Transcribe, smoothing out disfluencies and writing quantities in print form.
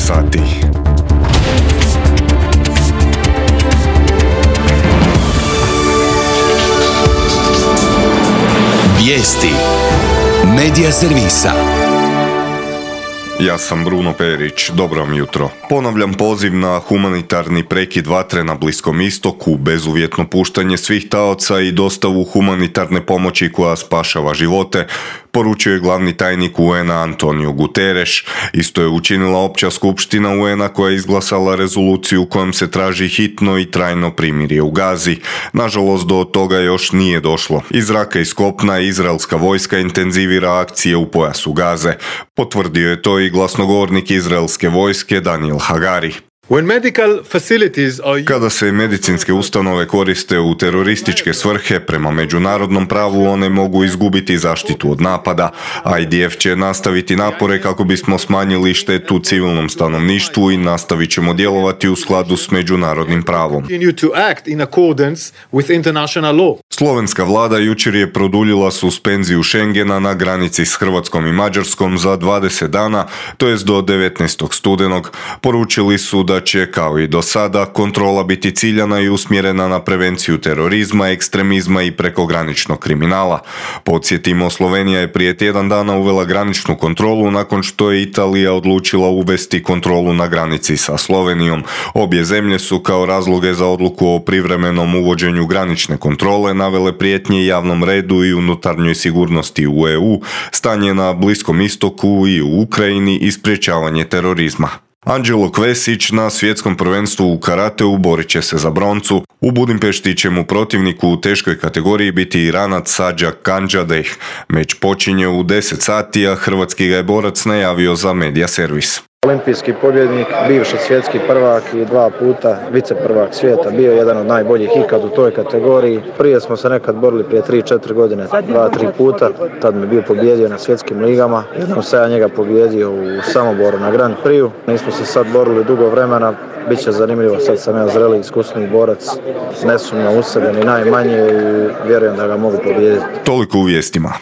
sati. Vijesti Medija servisa. Ja sam Bruno Perić, dobro vam jutro. Ponavljam poziv na humanitarni prekid vatre na Bliskom istoku, bezuvjetno puštanje svih taoca i dostavu humanitarne pomoći koja spašava živote, poručio je glavni tajnik UN-a Antonio Guterres. Isto je učinila opća skupština UN-a koja je izglasala rezoluciju kojom se traži hitno i trajno primirje u Gazi. Nažalost, do toga još nije došlo. Iz zraka i s kopna izraelska vojska intenzivira akcije u pojasu Gaze. Potvrdio je to i glasnogovornik izraelske vojske Daniel Hagari. Kada se medicinske ustanove koriste u terorističke svrhe, prema međunarodnom pravu one mogu izgubiti zaštitu od napada. IDF će nastaviti napore kako bismo smanjili štetu civilnom stanovništvu i nastavit ćemo djelovati u skladu s međunarodnim pravom. Slovenska vlada jučer je produljila suspenziju Schengena na granici s Hrvatskom i Mađarskom za 20 dana, to jest do 19. studenog. Poručili su da će, kao i do sada, kontrola biti ciljana i usmjerena na prevenciju terorizma, ekstremizma i prekograničnog kriminala. Podsjetimo, Slovenija je prije tjedan dana uvela graničnu kontrolu nakon što je Italija odlučila uvesti kontrolu na granici sa Slovenijom. Obje zemlje su kao razloge za odluku o privremenom uvođenju granične kontrole navele prijetnje javnom redu i unutarnjoj sigurnosti u EU, stanje na Bliskom istoku i u Ukrajini i sprječavanje terorizma. Anđelo Kvesić na svjetskom prvenstvu u karateu borit će se za broncu. U Budimpešti će mu protivniku u teškoj kategoriji biti Iranac Sađak Kandžadeh. Meč počinje u 10 sati, a hrvatski ga je borac najavio za Medija servis. Olimpijski pobjednik, bivši svjetski prvak i 2 puta viceprvak svijeta, bio je jedan od najboljih ikad u toj kategoriji. Prije smo se nekad borili prije 3-4 godine, 2-3 puta, tad me bio pobjedio na svjetskim ligama. Jednom se ja njega pobjedio u Samoboru na Grand Prixu. Nismo se sad borili dugo vremena, bit će zanimljivo, sad sam ja zreli iskusni borac, ne sumnjam u sebe ni najmanje i vjerujem da ga mogu pobijediti. Toliko u vijestima.